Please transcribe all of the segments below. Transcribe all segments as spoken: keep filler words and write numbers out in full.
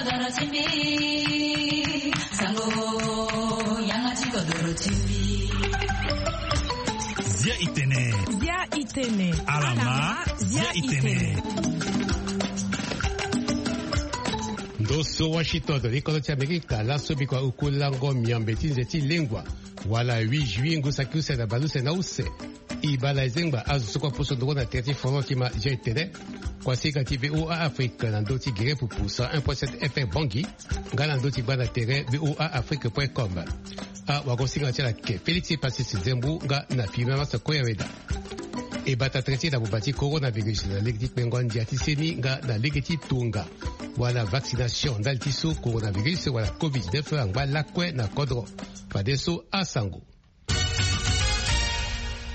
Zia itene. Zia itene. Alama, zia itene. Ndo so Washington, li kodro ti Amerika, laso bikua uku lango miambe ti nze ti lengua, wala huit juillet ngu saki use na baleuse na use. E baa na e zengba azo so kue aposo ndongo na tere ti Foro ti ma zia itene. Kuasinga ti V O A Afrique na ndö ti gere pupu cent un point sept F M Bangui, nga na ndö ti gba na tere V O A Afrique point com. Awagosinga ti ala ke Félix Pacis Zembu nga na Firmin Masse Koyaweda. E bata tere ti e na buba ti coronavirus na lege ti kpengo ndia ti seni nga na lege ti tonga wala vaccination ndali ti so coronavirus wala covid dix-neuf angba lakue na kodro. Fadeso asango.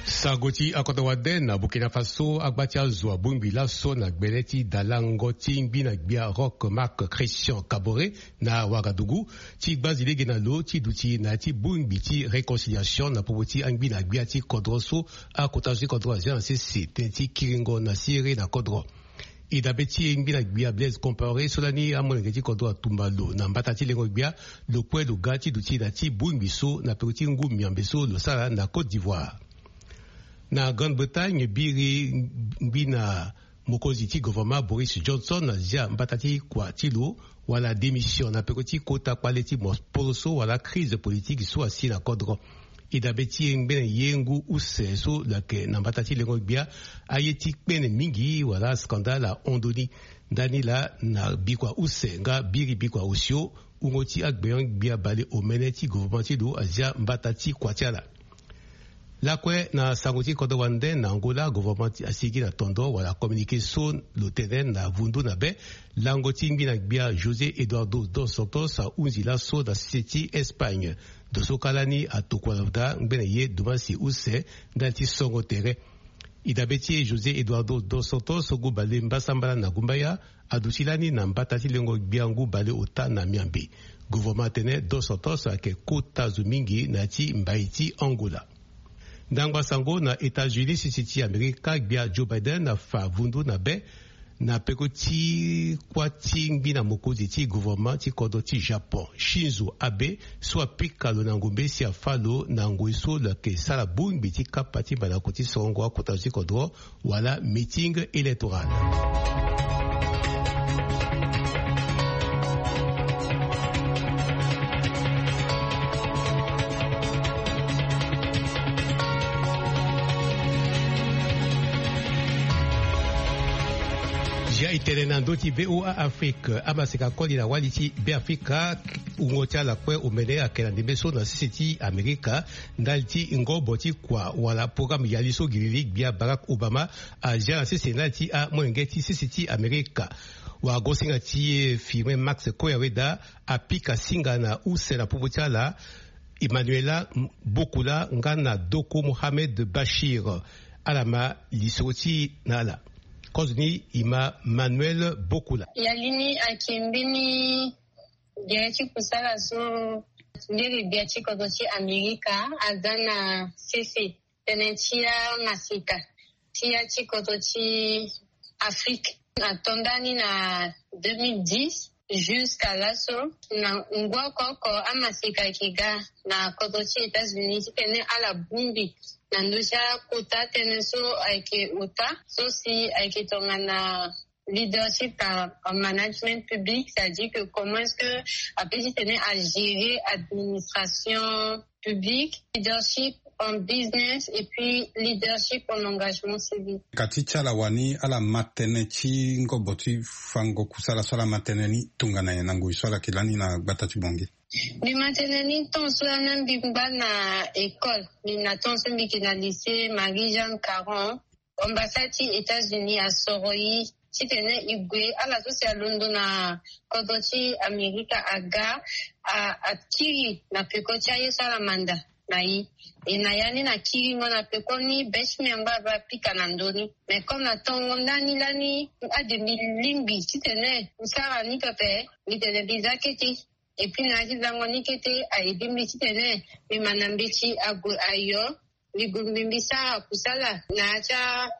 Sango ti akodro wande na Burkina Faso, agba ti azo abongbi laso na gbele ti dalango ti ngbi na gbia Roch Marc Christian Kaboré na Ouagadougou ti gbazi lege na lo ti duti na ya ti bongbi ti réconciliation na popo ti angbi na gbia ti kodro so akota zo ti kodro azia na sese tënë ti kiringo na siriri na kodro. E dabe ti e ngbi na gbia Blaise Compaoré so lani amolenge ti kodro atumba lo na mbata ti lengo gbia, lo kue lo ga ti duti na ti bongbi so na peko ti ngu miambe so lo sara na Côte d'Ivoire. Na Grande-Bretagne, biri ngbi na mokonzi ti gouvernement Boris Johnson azia mbata ti kua ti lo wala démission na peko ti kota kpale ti mo poroso wala crise politique so asi na kodro. E dabe ti e ngbene ye ngu use so lo yeke na mbata ti lengo gbia, aye ti kpene mingi wala scandale ahon ndoni. Ndani laa na bikua use nga biri bikua osio, wungo ti agbenyo-gbia baleomene ti gouvernement ti lo azia mbata ti kua ti ala. Lakue na sango ti kodro wande na Angola, gouvernement ti asigi na tondo wala communiqué so lo tene na vundu na be lango ti ngbi na gbia José Eduardo dos Santos ahunzi laso na sese ti Espagne. Ndo so kâ lani atokua na daa ngbene ye dumasi use ndali ti songo tere. E dabe ti e José Eduardo dos Santos so ngu bale mbasambala na gumbaya aduti lani na mbata ti lengo gbia ngu bale ota na miambe. Gouvernement atene dos Santos ayeke kota zo mingi na ya ti mbai ti Angola. Ndangba sango na États-Unis, sisi ti Amerika gbia Joe Biden afa vundu na be na peko ti kuâ ti ngbi na mokonzi ti gouvernement ti kodro ti Japon, Shinzo Abe, so apika lo na ngombe si afa lo na ngoi so lo yeke sara bongbi ti kapa ti mbandako ti sorongo akota zo ti kodro wala meeting électoral. Zia e tene na ndö ti V O A Afrique, amaseka koli na wali ti Beafrika, wungo ti ala kue omene ayeke na ndembe so na sese ti Amerika, ndali ti ngobo ti kua wala programme yali so gi lili gbia Barack Obama azia na sese ndali ti amolenge ti sese ti Amerika. Wagosinga ti e Firmin Max Koyaweda apika singa na use na popo ti ala, Emmanuela Bokula nga na Doko Mohamed Bachir. Ala ma lisoro ti e na ala. Kozo ni e ma Manuel Bokula. Yali ni ayeke mbeni gbia ti kusala so ndiri gbia ti kodro ti Amerika aza na sese tënë ti amaseka ti ya ti kodro ti Afrique. Na to ndani na deux mille dix jusqu'à laso, na ngu oko oko amaseka ayeke ga na kodro ti États-Unis titene ala bongbi na ndö ti akota tënë so ayeke ota so si ayeke tongana leadership en, en management public, c'est-à-dire que comment est-ce que apeut titene agérer administration publique, leadership en business et puis leadership en engagement civique. Ka ti ti ala wani ala ma tënë ti ngobo ti fango kusala so ala ma tënë ni tongana nyen na ngoi so ala yeke lani na gbata ti Bangui? Mbi ma tënë ni tongaso lani mbi ngba na école, mbi na tongaso mbi yeke na lycée Marie-Jeanne Caron. Ambassade ti États-Unis asoro e titene e gue ala so si alondo na kodro ti Amerika aga, a, akiri na peko ti aye so ala manda na e. E na ya ni na kiringo na peko ni be ti mbi angba aba apika na ndö ni. Mais comme na tongo ndani lani ade mbi lingbi titene mbi sara ni pepe, mbi tene mbi za kete. Et puis na ya ti zango ni kete a aidé mbi titene mbi ma na mbeti ague ayo. Mbi gue mbi mbi sara kusala na ya ti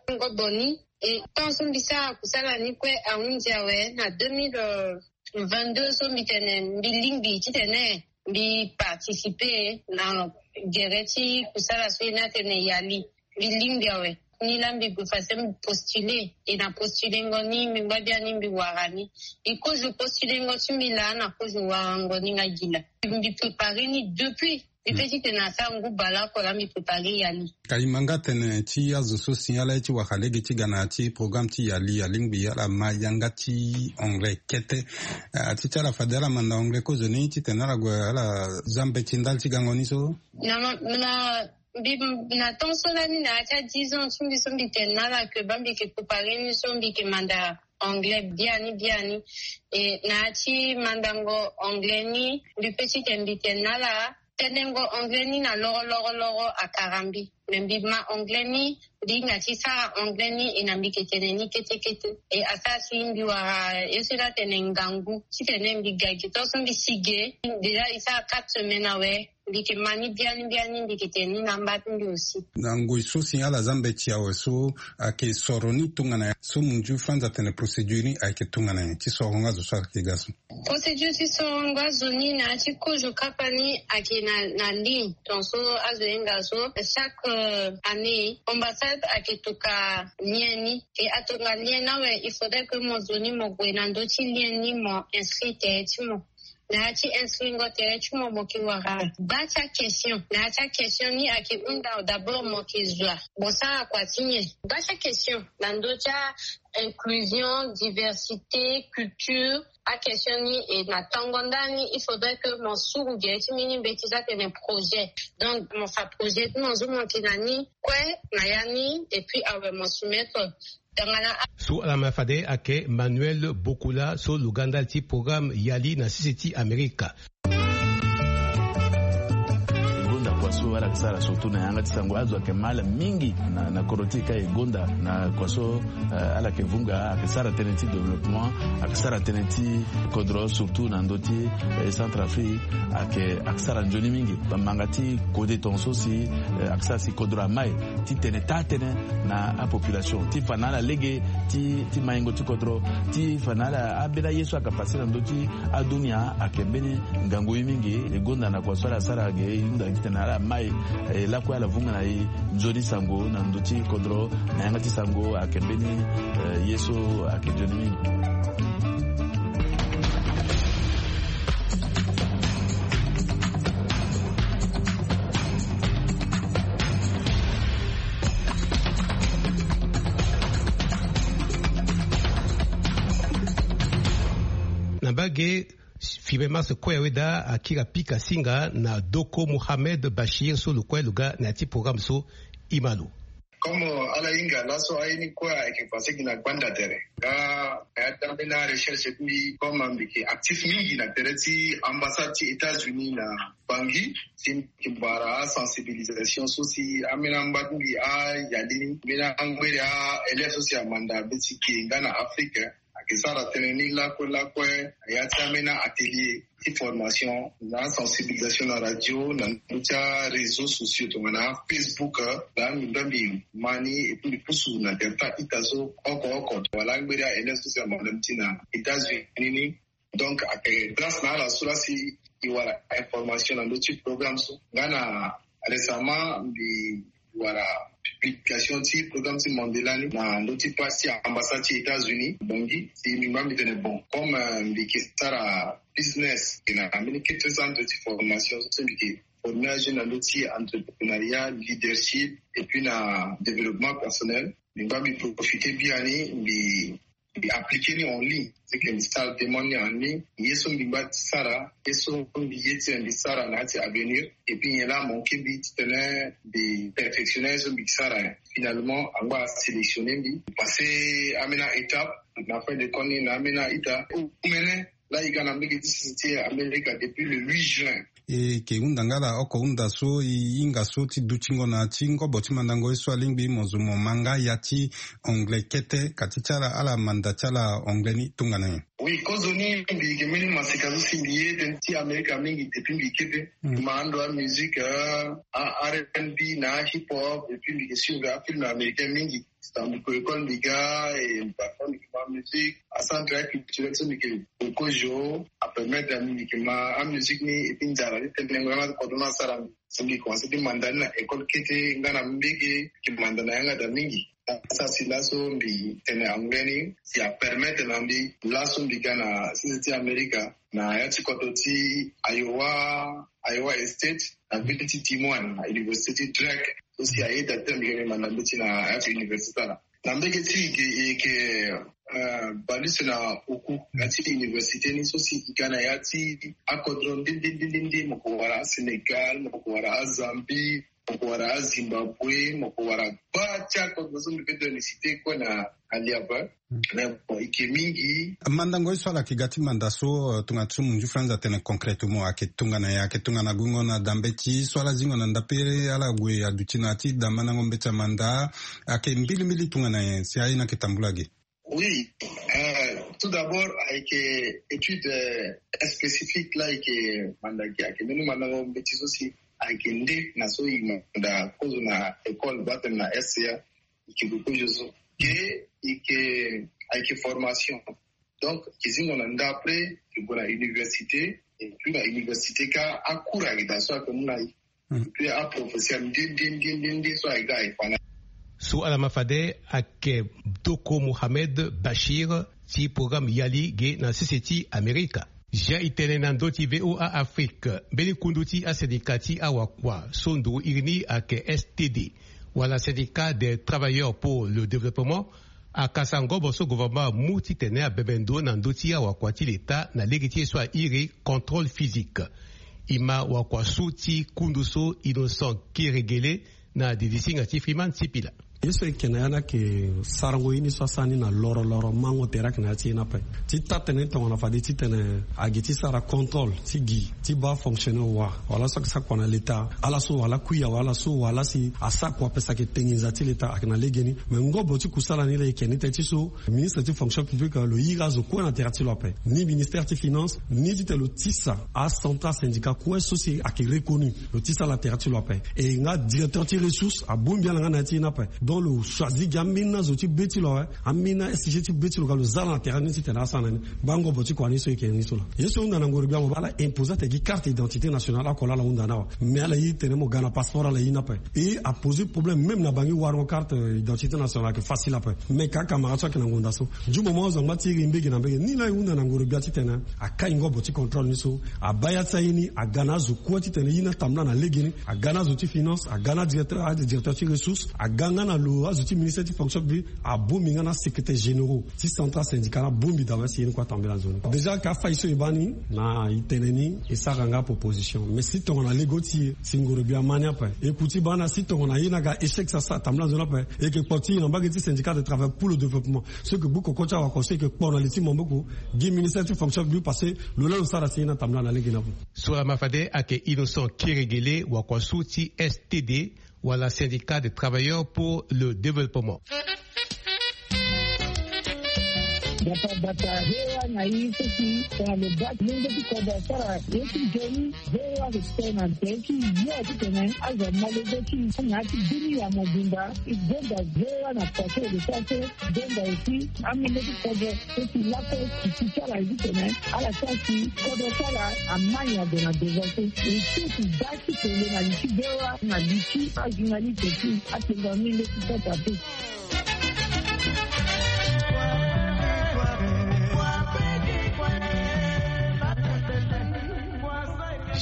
angobo ni. E tant so mbi sara kusala ni kue ahunzi awe na deux mille Vingt-deux so mbi tene mbi lingbi titene mbi participer na gere ti kusala so e na tene yali. Mbi lingbi awe. Ni laa mbi gue fade mbi postuler. E na postulengo ni mbi ngba biani mbi wara ni. E kozo postulengo ti mbi laa na kozo warango ni nga gi laa. Mbi préparer ni depuis. Mbi pe titene asara ngu baleoko laa mbi préparer yali. Ka e ma nga tene ti azo so si ala ye ti wara lege ti ga na ya ti programme ti yali alingbi ala ma yanga ti anglais kete. Ah, ti ti ala fade ala manda anglais kozoni titene ala gue ala za mbeti ndali ti gango ni so. Na ma- na mbi na temps so lani na ya ti a dix ans ti mbi so mbi tene na ala ke baa mbi ke préparer ni so mbi ke manda anglais biani biani. E na ya ti mandango anglais ni mbi pe titene mbi tene na ala tenengo anglais ni na loro loro loro akara mbi. Me mbi ma anglais ni mbi hinga ti sara anglais ni e na mbi ke tene ni kete kete. E asara si mbi wara ye so la tene ngangu titene mbi ga gi tant so mbi si ge. Déjà e sara quatre semaines awe. Mbi ke ma ni biani biani mbi ke tene ni na amba ti mbi aussi. Na ngoi so si ala za mbeti awe so ayeke soro ni tongana nyen so munzu fanza tene procédure ni ayeke tongana nyen ti soro nga zo so ayeke ga so? Procédure ti soro nga zo ni na ya ti kozo kapa ni ayeke na na ligne. Donc so azo hinga so chaque euh, année ambassade ayeke toka lien ni. E atonga lien ni awe il faudrait que mo zo ni mo gue na ndö ti lien ni mo inscrit tere ti mo. Na ya ti inscrit ngo tere ti mo mo ke wara baa ti a question. Na ya ti a question ni ayeke hunda d'abord mo ke zo a. Mo sara kua ti nyen? Baa ti a question na ndö ti a inclusion, diversité, culture. A question ni e na tongo ndani il faudrait que mo suru gere ti mbeni mbeti so atene projet. Donc mo fa projet ti mo so mo yeke na ni kue na ya ni et puis awe mo soumettre. Tongana a- So ala ma fade ayeke Manuel Bokola so lo ga ndali ti programme yali na sese ti Amerika. E gonda kua so ala yeke sara surtout na yanga ti sango azo ayeke ma ala mingi na na kodro ti e ka e gonda na kua so eh, ala yeke vunga ayeke sara tënë ti développement ayeke sara tënë ti kodro surtout na ndö ti eh, Centrafrique. Ayeke ayeke sara nzoni mingi bamanga ti kode tonga so si eh, ayeke sara si kodro amai ti tene taa tënë na apopulation ti fa na ala lege ti ti maingo ti kodro ti fa na ala ambeni aye so ayeke pase na ndö ti adunia ayeke mbeni ngangu ye mingi. E gonda na kua so ala sara ge e hunda titene ala mai e lakue ala vunga na e nzoni sango na ndö ti kodro na yanga ti sango ayeke mbeni eh, ye so ayeke nzoni mingi. Na mbage fimbe mars kue awe daa akiri apika singa na doko Mohamed Bachir so lo kue lo ga na ya ti programme so. Ima lo. Comme ala hinga laso aye ni kue ayeke pase gi na gbanda tere nga na ya ti ambeni arecherche ti mbi comme mbi yeke actif mingi na tere ti ambassade ti États-Unis na Bangui si mbi yeke bara asensibilisation so si ambeni amba ti mbi ayali ni mbeni angbere aélève so si amanda be ti ge nga na Afrique. Ayeke sara tënë ni lakue lakue na ya ti ambeni atelier ti formation na sensibilisation na radio na ndö ti aréseau sociaux tongana Facebook. Laa mbi nda mbi ma ni et puis mbi pusu na tere ti a-ita so oko oko wala angberi aélève so si amanda mbi ti na États-Unis ni. Donc ayeke grâce na ala so laa si e wara information na ndö ti programme so nga na récemment mbi wara publication ti programme ti Mandela ni na ndö ti page ti ambassade ti États-Unis Bangui si mbi ngba mbi tene bon comme mbi yeke sara business e na mbeni kete centre ti formation so mbi yeke former ajeune na ndö ti entrepreneuriat, leadership et puis na développement personnel. Mbi ngba mbi profiter biani mbi mbi appliquer ni en ligne. C'est que mbi sara demande ni en ligne ye so mbi ngba ti sara ye so mbi ye ti mbi sara na ya ti avenir et puis nyen laa amanke mbi titene mbi perfectionner ye so mbi sara. Finalement angba asélectionner mbi passer ambeni a-étape na fin de compte ni na ambeni a-ita omene. Laa e ga na mbege ti sese ti Amerika depuis le huit juin. E yeke hunda nga ala oko hunda so e hinga so ti dutingo na ya ti ngobo ti mandango ye so alingbi mo zo mo ma nga ya ti anglais kete ka ti ti ala ala manda ti ala anglais ni tongana nyen? Oui kozoni mbi yeke mbeni masika so si mbi ye tënë ti Amerika mingi depuis mbi kete. Ma ando amusique a R N B na ahip hop et puis mbi yeke suivre afilm américain mingi. Tandu ko école mbi ga e parfois mbi ke ma musique, acentre aculturel so mbi ke kokojo apermettre na mbi mbi ke ma amusique ni. Et puis nzara ti tene ngo yanga ti kodro ni asara mbi. Si mbi commence ti manda ni na école kete nga na mbege mbi ke manda na yanga daa mingi. Asara si laso mbi tene anglais ni si apermettre na mbi laso mbi ga na sese ti amerika na ya ti koto ti Iowa, Iowa State, na ville ti Des Moines na université ti Drake. So si ayeda ti mbi ga mbi manda mbeti na ya ti université ala. Na mbege ti e ke, e ke, eh, baleuse na oku na ya ti université ni so si e ga na ya ti akodro nde nde nde nde nde, mo ko wara aSénégal, mo ko wara aZambie, mo ko wara aZimbabwe, mo ko wara baa ti akodro so mbi pe tene cité kue na, na liaba. Mais bon, e ke mingi. Mandango ye so ala yeke ga ti manda so, eh, tongana ti so munzu franz atene concrètement ayeke tongana nyen? Ayeke tongana guingo na da mbeti so ala zingo na ndapere ala gue aduti na ya ti da mandango mbeti amanda? Ayeke mbilimbili tongana nyen si aye ni ayeke tambula ge? Oui, euh, tout d'abord ayeke étude, euh, spécifique la ayeke manda ge, ayeke mbeni mandango mbeti so si ayeke nde na so e manda kozo na école baa tene na S C A. E ke kokozo so ge, e ke, ayeke formation. Donc e ke zingo na nda après e ke gue na université. Et puis na université ka acours ayeke daa so ayeke mu na e. Puis aprofesseur nde nde nde nde nde so aye ga aye fa na. So ala ma fade ayeke Doko Mohamed Bachir ti programme Yali ge na sese ti Amerika. Zia e tene na ndö ti V O A Afrique, mbeni kundu ti asyndicat ti awakua so nduru iri ni ayeke S T D wala Syndicat des Travailleurs pour le Développement, akasa ngobo so gouvernement amu titene abembe ndo na ndö ti awakua ti leta na lege ti ye so airi contrôle physique. E ma wakua su ti kundu so Innocent Keregele na didisinga ti Freeman Sipila. Ye so e yeke na ya ni ayeke sarango ye ni so asara ni na loro loro mango tere ayeke na ya ti ye ni ape. Ti taa tënë ni tongana fade titene agi ti sara contrôle ti gi ti baa fonctionnaire wa wala so ayeke sara kua na leta, ala so wala kui awe, ala so wala si asara kua ape si ayeke te nginza ti leta ayeke na legeni. Mais ngobo ti kusala ni laa e yeke ni tënë ti so ministre ti fonction publique lo iri azo kue na tere ti lo ape, ni ministère ti finance ni titene lo tisa acentral syndicat kue so si ayeke reconnu, lo tisa ala na tere ti lo ape. E nga directeur ti ressource abongbi ala nga na ya ti ye ni ape. Donc lo choisi gi ambeni azo ti be ti lo awe, ambeni a-S G ti be ti lo ga lo za ala na tere ni titene asara na ni. Bango bo ti kua ni so e yeke ni so laa. Ye so e hunda na ngoro gbia mo baa ala imposer atene gi carte d'identité nationale oko laa ala hunda ni awe. Mais ala iri tene mo ga na passeport ala iri ni ape. E aposer problème même na bangi warango carte, euh, d'identité nationale ayeke facile ape. Mais ka camarade so ayeke na ngonda so du moment azo angba ti iri mbege na mbege ni laa e hunda na ngoro gbia titene akai ngobo ti contrôle ni so abaa ya ti aye ni aga na azo kue titene ye ni atambula na legeni. Aga na azo ti finance, aga na directeur, adirecteur ti ressource, aga nga na lo azo ti ministère ti fonction publique, abongbi nga na secrétaire généraux ti central syndicat ni abongbi daa si ye ni kue atambula nzoni. Déjà ka fai so e baa ni na e tene ni e sara nga proposition. Mais si tongana lego ti e si ngoro gbia ama ni ape. E ku ti baa na si tongana ye ni aga échec so asara tambula nzoni ape, e yeke kpo ti e na mbage ti syndicat de travail pour le développement. So e yeke gbu koko ti awakua so e yeke kpo na li ti maboko gi ministère ti fonction publique parce que lo laa lo sara si ye ni atambula na lege ni ape. So laa ma fade ayeke Innocent Keregele, wakua su ti S T D wala Syndicat des Travailleurs pour le Développement. Bata bata V O A na ye so si tongana lo baa ti lenge ti kodro asara ye ti nzoni. V O A respect na tere ti yo titene azo amolenge ti na ya ti bini ya mobimba. E gonda V O A na kua so e lo sara so. Gonda aussi amolenge ti kodro so si lakue ti ti ti ala ye titene ala sara si kodro ti ala ama nyen ague na devant so. E so si baa ti tene na li ti V O A na li ti ajournaliste ti atengo amolenge ti kodro ape.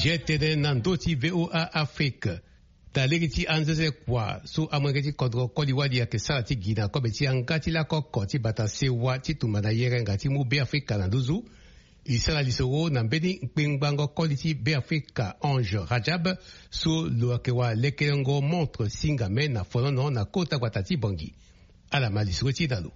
Zia e tene na ndö ti V O A Afrique. Daa lege ti anzenze kua so amolenge ti kodro koli wali ayeke sara ti gi na kobe ti yanga ti lako oko ti bata sewa ti tumba na yerenga ti mu Beafrika na nduzu. E sara lisoro na mbeni kpengbango koli ti Beafrika Ange Rajab so lo yeke wara lekerengo montre singame na fonono na kota gbata ti Bangui. Ala ma lisoro ti e na lo.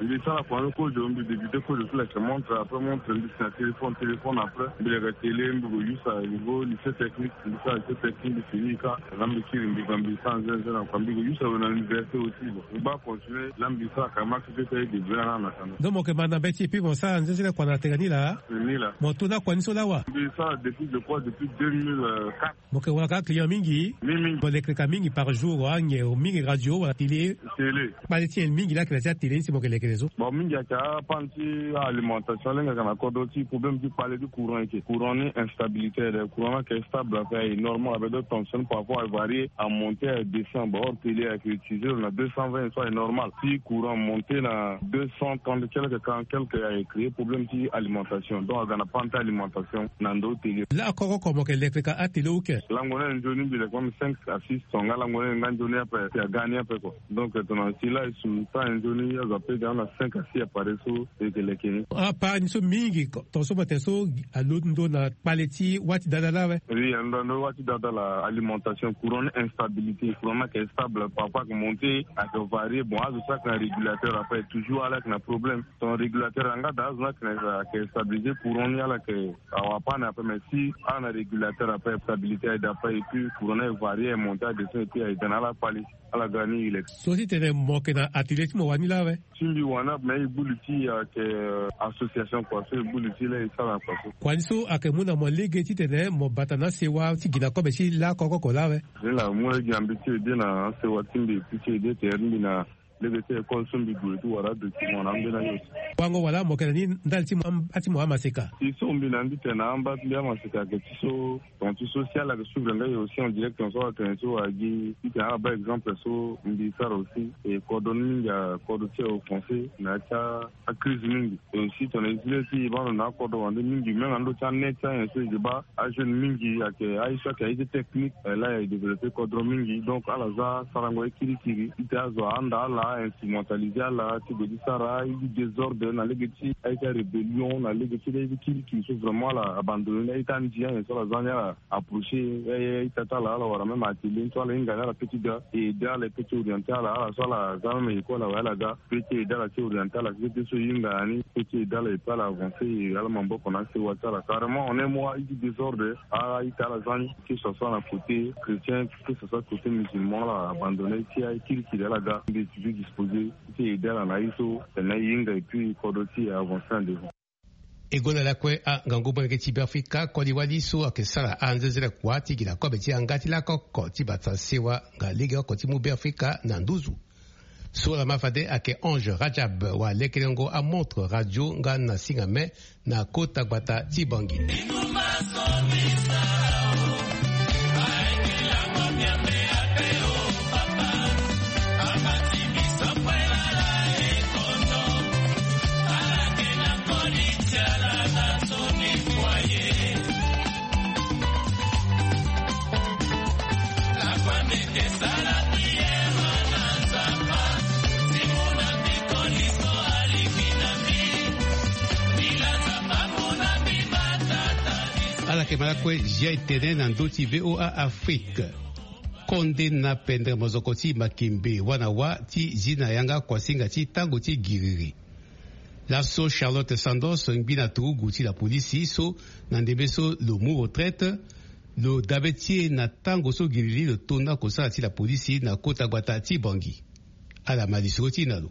Mbi sara kua ni kozo, mbi débuter kozo ti leke montre, après montre mbi si na téléphone, téléphone après mbi leke télé, mbi ko use à niveau lycée technique, mbi sara lycée technique, mbi fini ka. Nga mbi kiri mbi ga mbi sara nzenze na kua, mbi ko use awe na université aussi. Bon, mbi baa continuer la, mbi sara ka marché ti ete aye débrouiller na na kana. Donc mo yeke ma na mbeti et puis mo sara nzenze na kua na tene ni laa? Ni laa. Mo to na kua ni so lawa? Mbi sara depuis, je crois, depuis deux mille quatre. Mo yeke wara ka client mingi? Mingi mingi. Mo leke ka mingi par jour, anyen mingi radio wala télé? Télé. Kpale ti nyen mingi laa ayeke na ya ti atélé ni si mo yeke leke na zo? Bon, mingi ayeke apane ti alimentation, lenge ayeke na kodro ti problème ti kpale ti courant, ayeke courant ni instabilité, courant ni ayeke stable ape, aye normal ape, donc tension par rapport à varier, à monter, à descendre. Bon, or télé ayeke utiliser na deux cent vingt so aye normal. Si courant monter na deux cent trente quelque, quarante quelque, aye créer problème ti alimentation, donc aga na panne ti alimentation na ndo télé. Laa koko oko mo yeke leke ka atélé ou ke? Lango ni aye nzoni mbi leke même cinq à six tonnes, nga lango ni aye nga nzoni ape, si aga ni ape kua. Donc tongana si laa e su ta aye nzoni azo ape ga na cinq à six appareil so e yeke leke ni. Apart ni so mingi, tongaso mo tene so alondo na kpale ti wâ ti dada laa awe? Oui, alondo na wâ ti dada laa, alimentation, courant ni instabilité, courant ni ayeke stable, parfois ayeke monter, ayeke varier. Bon, azo so ayeke na régulateur ape toujours ala yeke na problème. Ton régulateur anga daa azo ni ayeke na, ayeke stabiliser courant ni, ala yeke awa apane ape, mais si ala na régulateur ape, stabilité aye daa ape, et puis courant ni aye varier, aye monter, aye descendre, et puis aye ga na ala kpale, ala ga ni e leke. So titene mo yeke na atelier ti mo wani laa awe? Ti mbi wani ape, mais e gbu li ti e ayeke, euh, association kua so e gbu li ti laa e sara na kua so. Kua ni so ayeke mu na mo lege titene mo bata na asewa ti gi na kobe ti laa koko oko laa awe? Ni laa mu lege na mbi ti ede na asewa ti mbi, e pu ti ede tere ti mbi na lege ti école so mbi gue ti wara adocument na ambeni aye aussi. Wango wala mo yeke na ni ndali ti mo am-, ti mo amaseka? Si so mbi na ni titene na amba ti mbi amaseka ayeke ti so, ton ti so si ala yeke suivre nga e aussi en direct, ton so ala tene so agi titene ala baa exemple so mbi sara aussi. E kodro ni mingi akodro ti e offensé na ya ti a, acrise mingi. Et aussi tongana e zi lê ti e baa ndo na akodro wande mingi, même na ndö ti anet ti anyen so e yeke baa ajeune mingi ayeke aye so ayeke aye ti technique, eh, laa e développé kodro mingi. Donc ala za sarango ye kirikiri titene azo ahanda ala, instrumentalisé ala ti gue ti sara aye ti désordre na lege ti aye ti arébellion, na lege ti aye ti kirikiri so vraiment ala abandonné ni aye ti andi anyen so ala za ni, ala approché aye, aye ti ata ala, ala wara même atelier ni so ala hinga ni ala peut ti ga e aidé ala, e peut ti orienté ala, ala so ala za même école awe ala ga. Pe ti aidé ala ti orienté ala, keke ti so e hinga na ni, pe ti aidé ala, et puis ala avancé, e ala maboko na asewa ti ala. Carrément, en un mois, aye ti désordre, a, aye ti ala za ni, que ce soit na côté chrétien, que ce soit côté musulman, ala abandonné, ti aye kirikiri ala ga, mbi toujours disposé ti aidé ala na aye so, tene e hinga, et puis kodro ti e avancé en devant. E gonda lakue angangu molenge ti Beafrika koli wali so ayeke sara anzenze kua ti gi na kobe ti yanga ti lakoko ti bata sewa nga legeoko ti mu Beafrika na nduzu. So lama fade ayeke Ange Rajab, walekerengo amontre radio nga na singa me na kota gbata ti Bangui. Ala yeke ma lakue J I T N na ndö ti V O A Afrique. Konde na pendere mozoko ti Makembe, wâ na wâ ti zi na yanga kuasinga ti tango ti giriri. Laso Charlotte Sandos, ngbi na turugu ti lapolisi so na ndembe so lo mu retraite, lo dabe ti e na tango so giriri lo to na kosala ti lapolisi na kota gbata ti Bangui. Ala ma lisoro ti e na lo.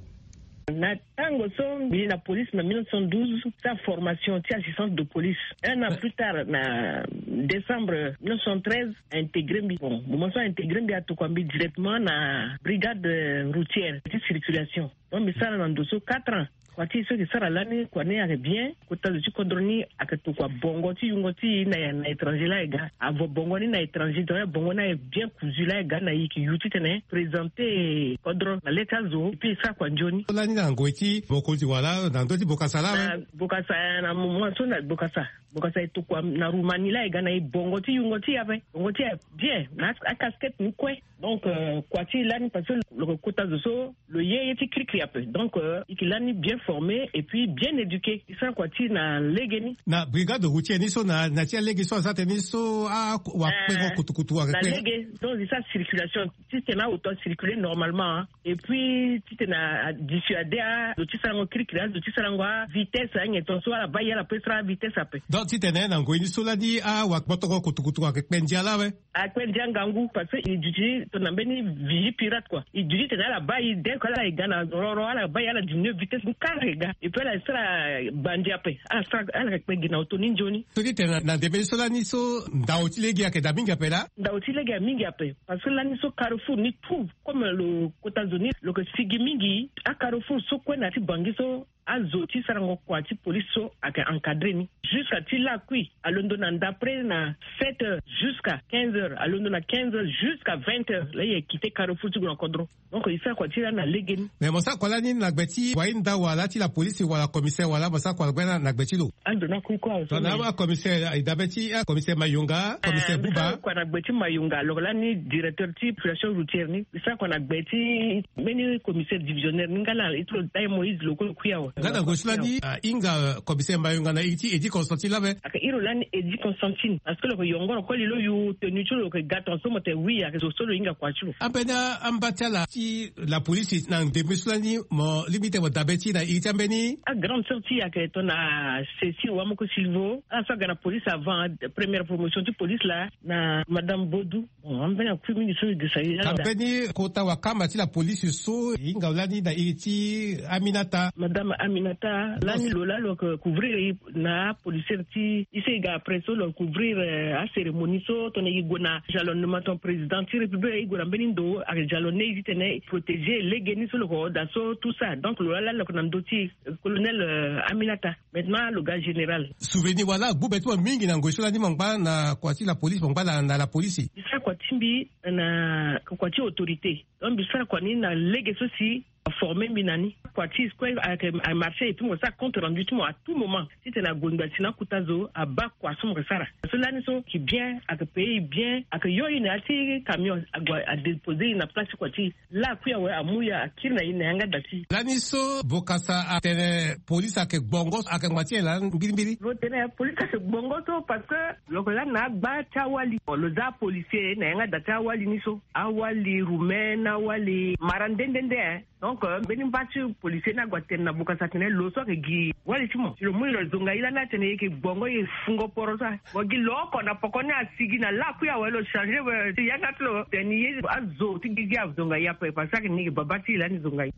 Na tango so mbi na police na mille neuf cent douze, sa formation ti assistante de police. Un an plus tard, na décembre mille neuf cent treize, a intégré mbi. Bon, moment so a intégré mbi, atokua mbi directement na brigade, euh, routière ti circulation. Donc mbi sara na ndo so quatre ans. Kua ti e so e ke sara lani, kua ni ayeke bien. Kota zo ti kodro ni ayeke tokua bongo ti yungo ti e na, na étranger laa e ga. Avo bongo ni na étranger, donc bongo ni aye bien cousu laa e ga na e, e ke yu titene présenter kodro na le ti azo, et puis e sara kua nzoni. Lani na ngoi ti mokonzi wala na ndö ti bokasa laa awe? Na bokasa, na moment so na bokasa. Bokasa e tokua na Roumanie laa e ga na e bongo ti yungo ti e ape. Bongo ti e aye bien, na a-, acasquette ni kue. Donc, euh, kua ti e lani parce que lo ke kota zo so lo ye ye ti kirikiri ape. Donc, euh, e ke lani bien. formé et puis bien éduqué. Esa kua ti na lege ni. Na brigade routière ni so na na ti alege so aza tene ni so awakpengo kutukutu wake na kpe lege. Donc esa circulation ti tena auto circuler normalement, hein. Et puis ti tena dissuader azo ti sarango kirikiri, azo ti sarango avitesse anyen ton so ala baa ye ala pe sara avitesse ape. Donc ti tene na ngoi ni so lani awakpengo kutukutu wake kpe ndia laa awe. Akpe ndia ngangu parce que e duti tona mbeni vigie pirate kua. E duti tena ala baa ye dès que ala ye ga na roro ala baa ye ala diminue vitesse ni kara ye ga et puis ala sara bandia ape. Ala sara ala kpe gi na auto ni nzoni. So ti tena na ndembe ni so lani so ndao ti lege ayeke daa mingi ape laa. Ndao ti lege aye mingi ape. Parce que lani so carrefour ni tout comme lo kota zo ni lo yeke sigi mingi. Acarrefour so kue na ti bangi so azo ti sarango kua ti police so ayeke encadrer ni. Jusqu'à ti lakui alondo na d'après na sept heures jusqu'à quinze heures, alondo na quinze heures jusqu'à vingt heures la ye quitté carrefour ti gue na kodro. Donc e sara kua ti lani na lege ni. Mais mo sara kua lani na gbe ti wainda wala ti la police wala commissaire wala mo sara kua gbe na gbe ti lo? Ando na kui kua tona awa commissaire e dabe ti commissaire mayonga, commissaire buba kua na gbe ti mayonga. Lo lani directeur ti population routière ni. E sara kua na gbe ti mbeni commissaire divisionnaire ni nga na iri ti lo dai moïse lo kue lo kui awe. Nga na ngoi so lani ahinga commissaire mayonga na iri ti edi constantine labe? Aka iri lo lani edi constantine parce que lo yeke yongoro koli lo yu tenue ti lo lo yeke ga ton so mo tene oui aka zo so lo hinga kua ti lo. Ambeni amba ti ala ti la police na ndembe so lani mo lingbi tene mo dabe ti na iri ti ambeni? Agrande sœur ti aka tona cécile wamoko silvo ala so aga na police avant première promotion ti police laa na madame bodou. Bon ambeni akui mingi so e gesa ye laa. Ambeni kota wakamba ti la police so e hinga lani na iri ti aminata? Madame aminata lani lo laa lo yeke couvrir e na apolicière ti e so e ga après so lo couvrir acérémonie so tongana e gue na jalonnement ton président ti république e gue na mbeni ndo ake jalonne e ti tene e protéger lege ni so lo yeke hoo daa so tout ça donc lo laa lani lo yeke na ndö ti e. Colonel aminata. Maintenant lo ga général. Souvenir wala agbu be ti mo mingi na ngoi so lani mo ngba na kua ti la police mo ngba na la police? E sara kua ti mbi na kua ti autorité. Donc mbi sara kua ni na lege so si aforme mbi na ni. Kua ti e kue ayeke amarché et puis mo sara compte rendu ti mo à tout moment. Titene ague ngba si na akota zo abaa kua so mo yeke sara. So lani so ayeke bien, ayeke paye e bien, ayeke yo e na ya ti camion ague adépose e na place ti kua ti e. Laa akui awe amu ya akiri na e na yanga da ti e. Lani so bokasa atene police ayeke gbongo ayeke ngba ti e laa mbirimbiri? Lo tene police ayeke gbongo so parce que lo yeke lani na agba ti awali lo za apolicier na yanga da ti awali ni so. Awali roumain na awali mara nde nde nde. Donc mbeni mba ti policier ni ague atene na bokasa atene lo so ayeke gi wali ti mo si lo mu e lo zonga e lani atene e yeke gbongo e fungo poro so awe. Mo gi lo oko na poko ni asigi na lakui awe lo changer we ti yanga ti lo tene ye azo ti gigi azonga e ape parce que ayeke ni yeke baba ti e lani zonga e.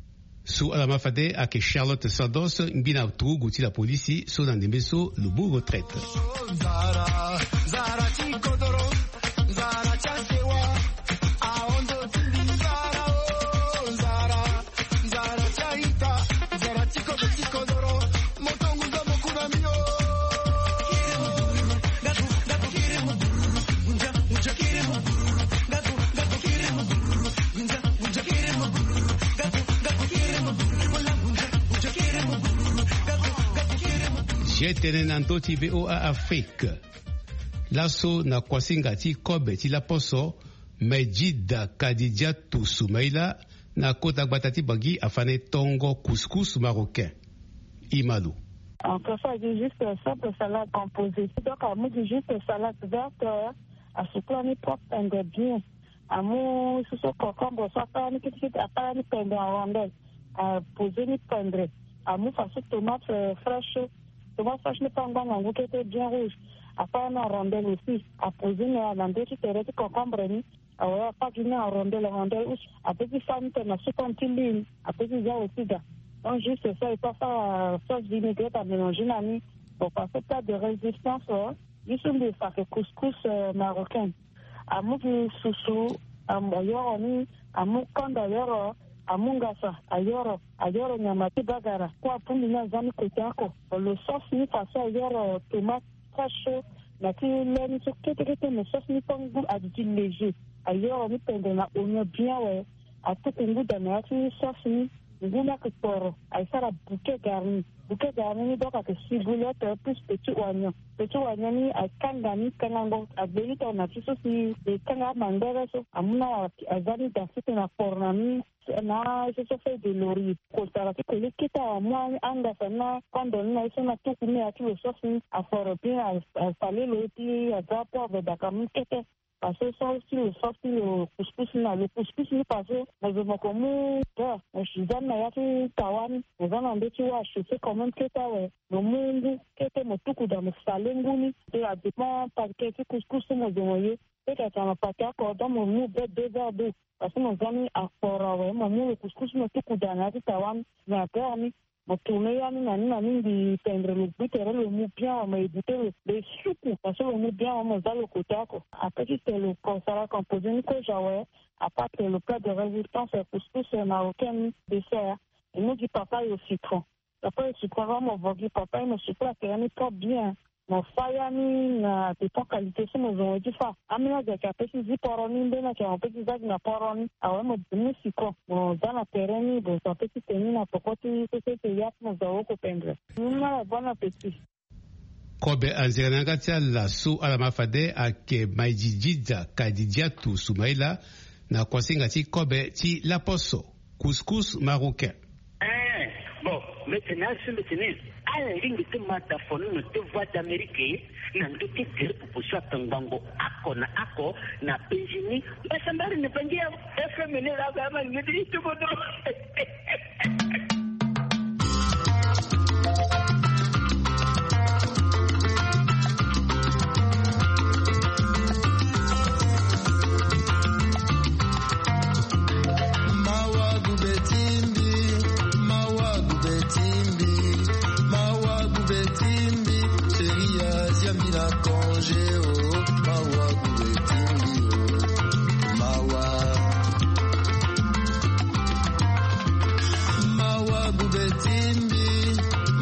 So ala ma fade ayeke charlotte sados ngbi na turugu ti la polisi so na ndembe so lo mu retraite. Ye tene na ndö ti voa afrique. Laso na kuasinga ti kobe ti laposo, medjida kadidia tusu maila na kota gbata ti bangi afane tongo couscous marocain. Imalo. En fait ça dit juste simple salade composée donc amu dit juste salade verte. Asukula ni propre pendre bien. Amu susu concombre so akala ni kitikiti akala ni pendre en rondelle. Apose ni pendre. Amu fasu tomate fraîche. Tomate fraîche ni pe angba ngangu kete bien rouge. Akala ni en rondelle aussi apose ni na ndö ti tere ti concombre ni. Awe apaki ni en rondelle en rondelle rouge. Ape ti fa ni tene na sukon ti lune ape ti za aussi ga. Donc juste ça il faut asara sauce vinaigrette amélanger na ni. Bon parce que plat de résistance. Ye so mbi fa ayeke couscous marocaine. Amu gi susu. Ayoro ni. Amu kanda ayoro. Amu ngasa ayoro. Ayoro nyama ti bagara kue apundi ni aza ni kota oko. Lo sauce ni façon ayoro tomate. Très chaud. Na ti le ni so kete kete mais sauce ni pe ngu aduti léger. Ayoro ni pendre na oignon bien awe. Atuku ngu daa na ya ti sauce ni. Ngu ni ayeke poro. Aye sara bouquet garni. Buke dara ni ni donc ayeke si bouillotte plus petit oignon. Petit oignon ni akanga ni kangango agbe ni tongana ti so si e kanga amandere so amu na aza ni da sese na poro na ni. Na ye so so feuille de laurier kotara ti koli kete amu angasa ni na kondo ni na ye so na tuku ni ya ti lo sauce ni aforo bien asale lo ti aza poivre daka mu kete. Parce que so si lo sauce ti lo couscous ni na lo couscous ni parce que mo zo mo ko mu beurre mo si za ni na ya ti tawa ni mo za na ndö ti wâ achauffé quand même kete awe. Mo mu ngu kete mo tuku da mo sale ngu ni. Te adépend paquet ti couscous so mo zo mo ye. Peut-être na pate oko donc mo mu be deux verres d'eau. Parce que mo za ni aforo awe mo mu lo couscous mo tuku da na ya ti tawa ni na beurre ni. Mo tourner ya ni na ni na ni mbi pendre lo gbu tere lo mu bien awe mo éviter lo lo esuku parce que lo mu bien awe mo za lo côté oko. Ape ti tene lo ko sara composer ni kozo awe. Apart tene lo plat de résistance couscous marocain ni dessert. E mu gi papaye au citron. Papaye au citron awe mo vo gi papaye mo suku la tere ni trop bien. Mo fa ya ni na dépend qualité so mo zo mo ye ti fa. Ambeni azo ayeke ape ti zi poro ni mbeni ayeke mo pe ti za gi na poro ni awe mo mu citron mo za na tere ni mo zo ape ti tene ni na poko ti société ya ti mo zo awe oko pendre. Ni na la bonne appétit. Kobe anzere na yanga ti ala so ala ma fade ayeke maididida kadidiatu sumaila. Na kuasinga ti kobe ti laposo couscous marocain. Eh, bon, mbetene aso mbetene ala lingbi ti ma da fo ni na te voix d'amérique na ndö ti gere popo so atongbango ako na ako na penzi ni. Mbasambari na bangi ya fm ni la ba ma ni ti tobodo. Mawa gube timbi, mawa gube timbi, mawa gube timbi. Seria ziambi na congé o. Mawa gube timbi o. Mawa. Mawa gube timbi,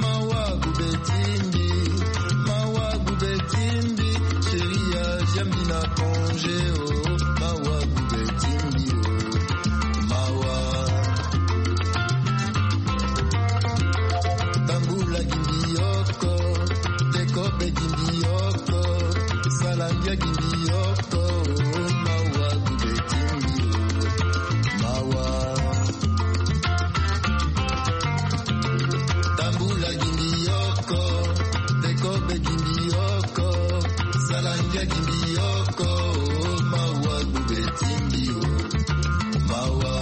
mawa gube timbi, mawa gube timbi. Seria ziambi na congé o. Mawa gube timbi o. Mawa. Tambula gimbi oko. Tekobe gimbi oko. Salambia gimbi oko. Mawa gube timbi o. Mawa. Tambula gimbi oko. Tekobe gimbi oko. Salambia gimbi oko. Mawa gube timbi o. Mawa.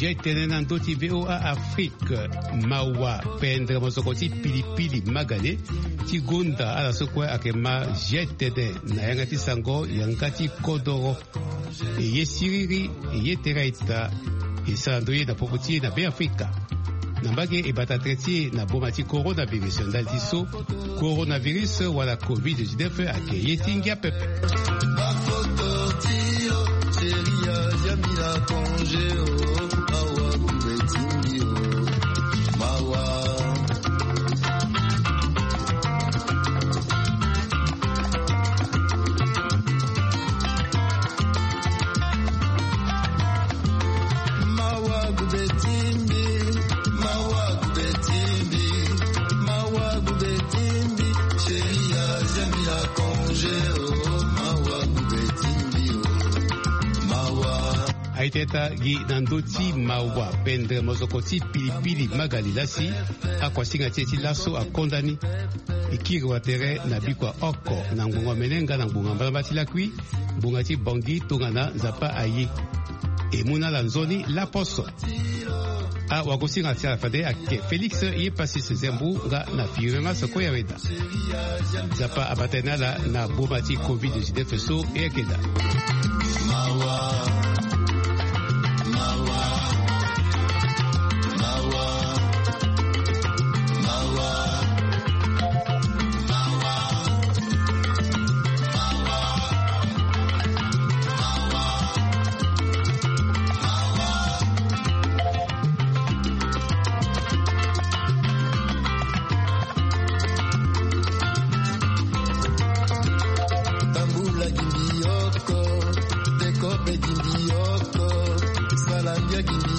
Jetene na ndö ti voa afrique. Mawa pendre mosoko ti pilipili magane ti gonda ala so kue ayeke ma jetene na yanga ti sango yanga ti kodoro. E ye siriri, e ye tere ita. E sara ndo ye na popo ti e na beafrika. Na mbage e bata tere ti e na boma ti coronavirus ndali ti so coronavirus wala covid dix-neuf ayeke ye ti ngia pepe. Bafoto ti yo. Seria ziambi na congé o. Mawa gube timbi o. Mawa. Mawa gube timbi, mawa gube timbi, mawa gube timbi. Seria ziambi na congé o. Mawa gube timbi o. Mawa. Aita gi na ndö ti mawa pendre mosoko ti pilipili magali lasi. Akuasinga ti e ti laso akonda ni. E kiri watere na bikua oko na ngbonga omene nga na ngbonga mbalamba ti lakui. Ngbonga ti bongi tongana nzapa aye. E mu na ala nzoni laposo. Awagosinga ti ala fade ayeke félix ye pasis zembu nga na firena soko ya weda. Nzapa abata ni ala na boma ti covid dix-neuf so e yeke daa. Mawa. Mawa. Mawa. Mawa. Tambula gimbi oko. Tekobe gimbi oko. Salambia gimbi